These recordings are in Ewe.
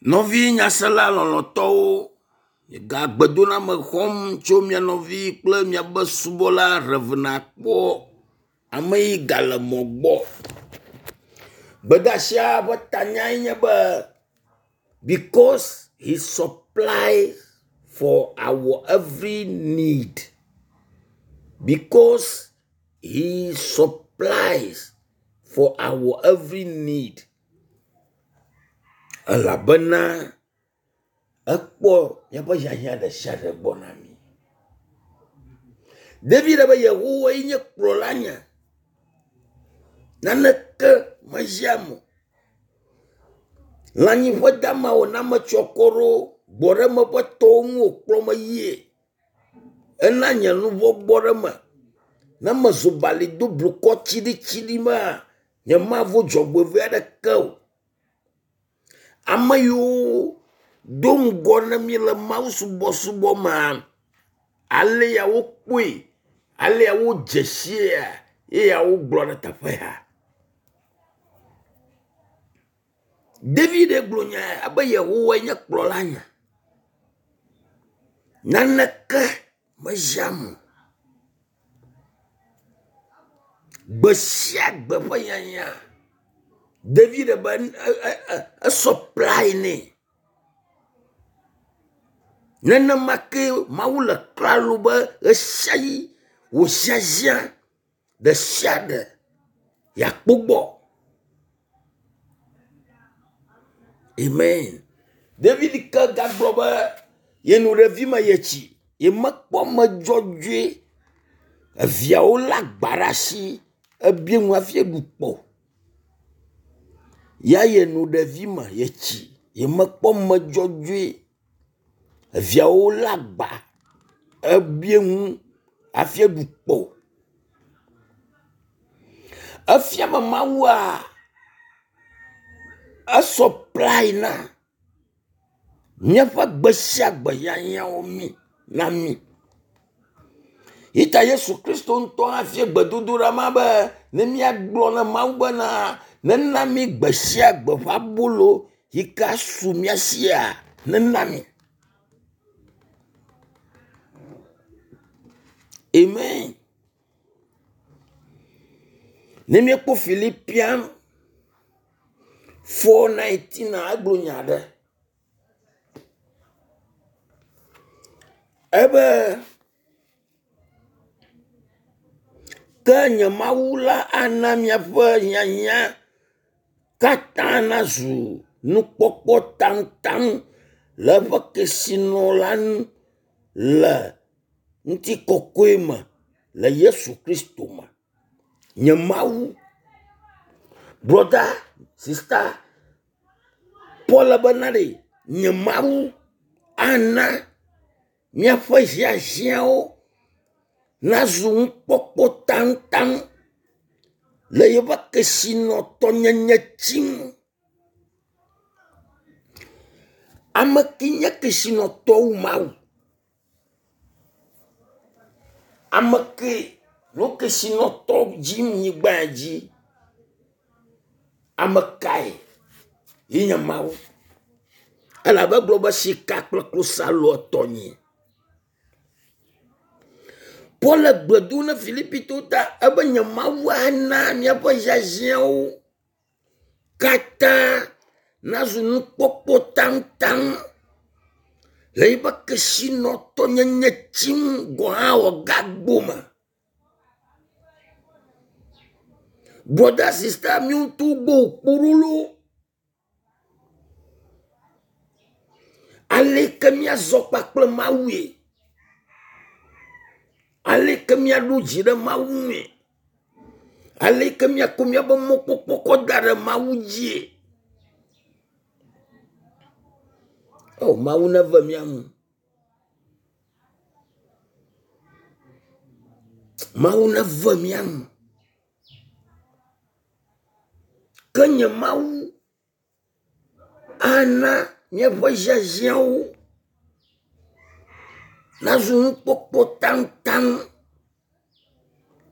Nɔvi nyasela lɔlɔ̃tɔwo, miega gbedoname xɔm tso mia nɔvi kple miabe subɔla Rev. Akpɔ ame yi gale mɔ gbɔ. Gbedeasia ƒe tanyae nye be because he supply for our every need. Because he supplies for our every need. Elabena ekpɔ míaƒe hiahiã ɖe sia ɖe gbɔ na mí. David be Yehowae nye kplɔla nye. Naneke meziam o. Lãnyiƒe damawo na metsyɔ akɔ ɖo, gbɔɖeme ƒe tɔwo ŋu wòkplɔm yie. Ena nye luʋɔ gbɔ ɖe eme. Ne mezu bali do blukɔ tsiɖitsiɖi mea, nyemavo dzɔgbevɔ̃e aɖeke o. Ame yiwo do ŋgɔ na mí le mawusubɔsubɔ mea, ale ya wokpɔe, ale ya wodze siia, eya wogblɔ ɖe teƒe ya. David gblɔ nya ya be Yehowae nye kplɔla nye. Naneke meziam o. Gbe sia gbe ƒe hiahiã. David be esɔplai nɛ. Nenema ke Mawu le klalo be ɣesiaɣi wò hiahiã ɖe sia ɖe yeakpɔ gbɔ. Amen. David ke gagblɔ be yeno ɖevime yetsi, yemekpɔ ame dzɔdzɔe eviawo lé agba ɖe asi ebie nu hafi eɖu kpɔ o. Ya yeno ɖevime yetsi yemekpɔ ame dzɔdzɔe eviawo lé agba ebie nu hafi eɖu kpɔ o. Efia be Mawua esɔplai na míaƒe gbe sia gbe hiahiãwo mí na mí. Yi ta Yesu Kristo ŋutɔ hã fia gbedodoɖa ma be ne míagblɔ na Mawu bena nena mí gbe sia gbe ƒe abolo yi ke asu mía sia nena mí. Amen. Ne míekpɔ Filipian 4:19 egblɔ nya aɖe. Ebe ke nye Mawu la ana miaƒe hiahiã katã nazu nukpɔkpɔ taŋtaŋ le eƒe kesinɔ la nu le ŋutikɔkɔe me le Yesu Kristo me. Nye Mawu, brɔda, sista, Paul bena ɖe nye Mawu ana míaƒe hiahiãwo nazu nukpɔkpɔ taŋtaŋ le yeƒe kesinɔtɔnyenye tsi ŋu. Ame ke nye kesinɔtɔ wu Mawu. Ame ke no kesinɔtɔ dzi nyigba dzi. Ame kae ye nye Mawu? Elabe egblɔ be sika kple klosalo etɔnye. Paul le gbe dom na Filipitɔwo ta ebe nye Mawu ana míaƒe hiahiãwo katã nazu nukpɔkpɔ taŋtaŋ le yiƒe kesinɔtɔnyenye tsim gɔ̃ hã wòagagbo me. Brɔda sista míawo ŋutɔwo gbɔ wòkpo ɖo loo. Aleke míazɔ kpakple Mawue? Aleke míaɖo dzi ɖe Mawu ŋue? Aleke míakɔ míaƒe mɔkpɔkpɔ kɔ da ɖe Mawu dzie? O Mawu neve mía nu. Mawu neve mía nu. Ke nye Mawu ana míaƒe hiahiãwo nazu nukpɔkpɔ taŋtaŋ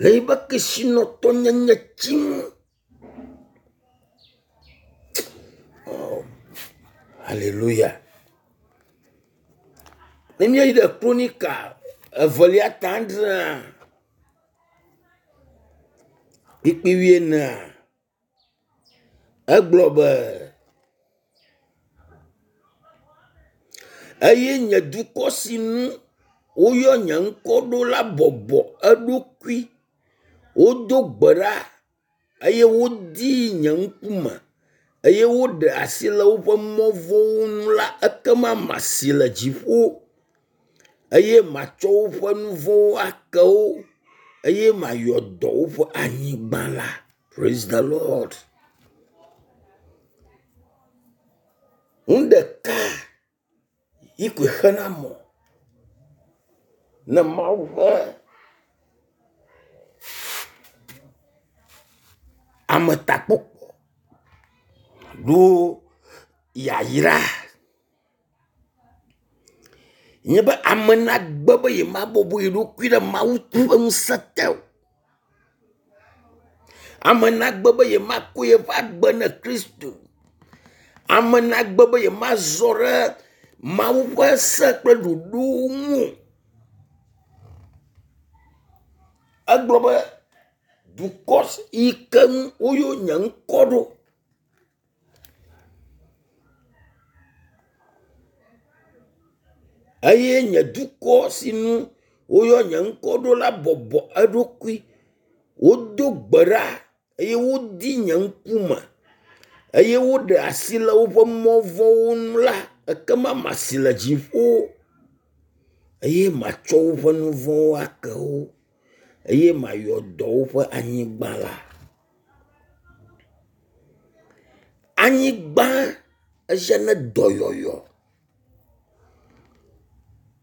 le yiƒe kesinɔtɔnyenye tsi ŋu. Oh. Aleluya. Ne míeyi ɖe Kronika evelia ta adrea, kpukpui wuienea, egblɔ be, Eye nye dukɔ si ŋu woyɔ nye ŋkɔ ɖo la bɔbɔ eɖokui, wodo gbe ɖa eye wodi nye ŋkume eye woɖe asi le woƒe mɔ vɔ̃wo ŋu la, ekema masi le dziƒo eye matsɔ woƒe nu vɔ̃wo ake wo eye mayɔ dɔ woƒe anyigba la. Praise the Lord. Nu ɖeka yi koe xena mɔ ne Mawu ƒe ametakpɔkpɔ ɖo yayra nye be ame nagbe be yemabɔbɔ ye ɖokui ɖe Mawu ƒe ŋusẽ te o. Ame nagbe be yemakɔ yeƒe agbe ne Kristo. Ame nagbe be yemazɔ ɖe Mawu ƒe se kple ɖoɖowo ŋu o. Egblɔ be dukɔ yi ke ŋu woyɔ nye ŋkɔ ɖo. Eye nye dukɔ si ŋu woyɔ nye ŋkɔ ɖo la bɔbɔ eɖokui. Wodo gbe ɖa eye wodi nye ŋkume eye woɖe asi le woƒe mɔ vɔ̃wo ŋu la, ekema masi le dziƒo eye matsɔ woƒe nu vɔ̃wo ake wo eye mayɔ dɔ woƒe anyigba la. Anyigba ehiã ne dɔyɔyɔ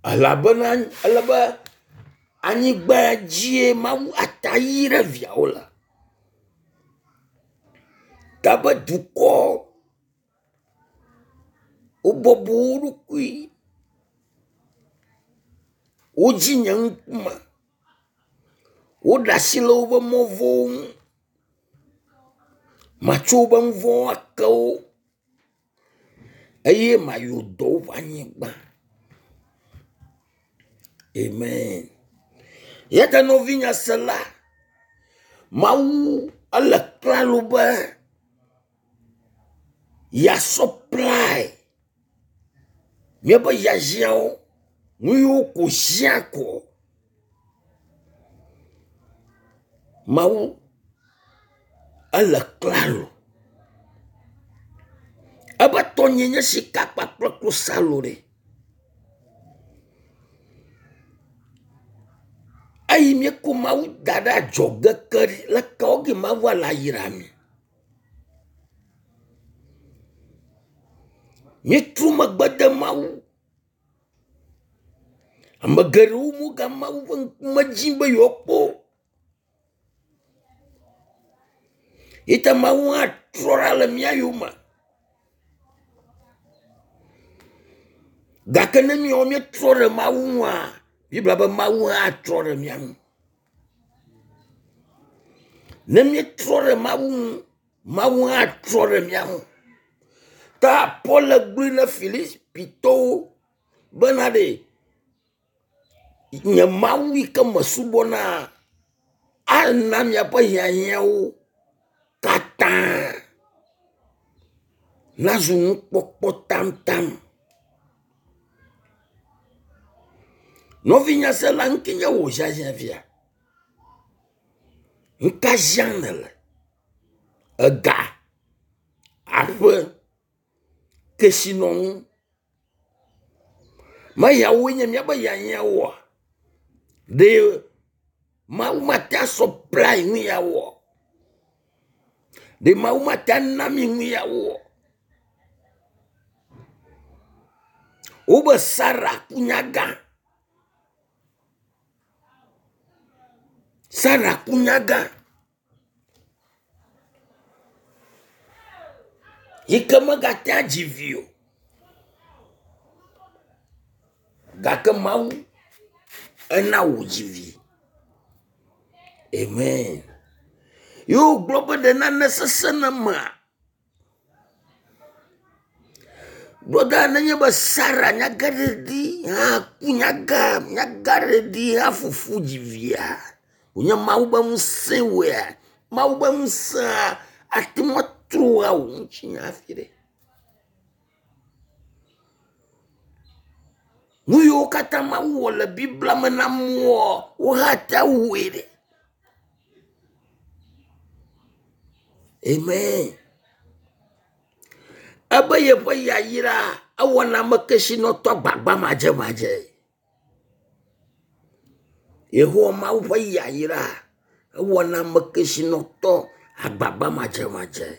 elabena ele be anyigba dzie Mawu ata ʋi ɖe viawo le. Gabe dukɔ wobɔbɔ wo ɖokui, wodzi nye ŋkume, woɖe asi le woƒe mɔ vɔ̃wo ŋu, matsɔ woƒe nu vɔ̃wo ake wo eye mayɔ dɔ woƒe anyigba. Amen. Ya ta nɔvinye sela, Mawu ele klalo be yeasupply míaƒe hiahiãwo, nu yiwo ko hiã ko. Mawu ele klalo. Ebe tɔnye nye sika kpakple klosalo ɖe. Eyi míekɔ Mawu da ɖe adzɔge ke ɖe, leke wɔ ge Mawu ala yra mi? Míetrɔ megbe de Mawu. Ame geɖewo mega Mawu ƒe ŋkume dzim be yewoakpɔ o. Yi ta Mawu hã trɔ ɖa le mía yome. Gake ne míawo míetrɔ ɖe Mawu ŋua, Biblia be Mawu hã trɔ ɖe mía ŋu. Ne míetrɔ ɖe Mawu ŋu, Mawu hã trɔ ɖe mía ŋu. Ta Paul gblɔe na Filipitɔwo bena ɖe nye Mawu yi ke mesubɔna ana miaƒe hiahiãwo katã nazu nukpɔkpɔ taŋtaŋ. Nɔvinye sela, nu ke nye wò hiahiã fia? Nu ka hiãm nèle? Ega, aƒe, kesinɔnu. Meyawoe nye míaƒe hiahiãwoa? Ɖe Mawu mate asupply nu yawoa? Ɖe Mawu mate ana mí nu yawoa? Wobe Sara ku nyagã. Sara ku nyagã yi ke megate adzi vi o. Gake Mawu ena wòdzi vi. Amen. Ye wogblɔ be ɖe nane sesẽ na mea? Broda nenye be Sara nyagaɖeɖi hã ku nyaga nyagaɖeɖi hã fufu dzi via wònye Mawu be ŋusẽ wɔea Mawu be ŋusẽa ate ŋu atro awò ŋutinya hafi ɖe. Nu yiwo katã Mawu wɔ le Biblia me na amewoa, wo hã ate ŋu awɔe ɖe. Amen. Ebe yeƒe yayra ewɔna ame kesinɔtɔ gbagba madzemadze. Yehowa Mawu ƒe yayra ewɔna ame kesinɔtɔ agbagba madzemadze.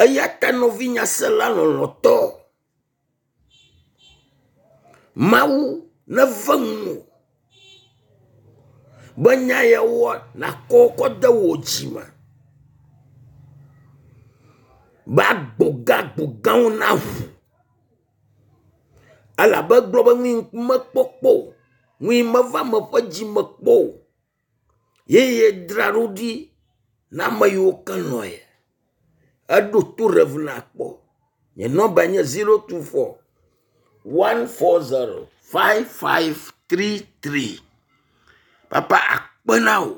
Eya ta nɔvi nyasela lɔlɔ̃tɔ, Mawu neve nuwò be nya yawoa nàkɔ kɔ de wò dzi me be agbogã agbogãwo naʋu elabe egblɔ be nu yi mekpɔ kpɔ o, nu yi meva ame ƒe dzi me kpɔ o ye yedzra ɖo ɖi na ame yiwo ke lɔ̃e. Eɖo to Rev. Akpɔ. Nye nɔmba nye 024 140 5533. Papa akpe na wò.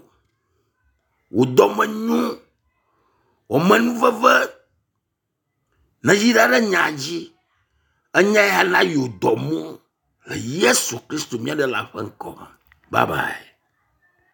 Wò dɔme nyo. Wò amenuveve neyra ɖe nya dzi. Enya ya na yewo dɔ mɔ le Yesu Kristo mía ɖela ƒe ŋkɔ me. Bye bye.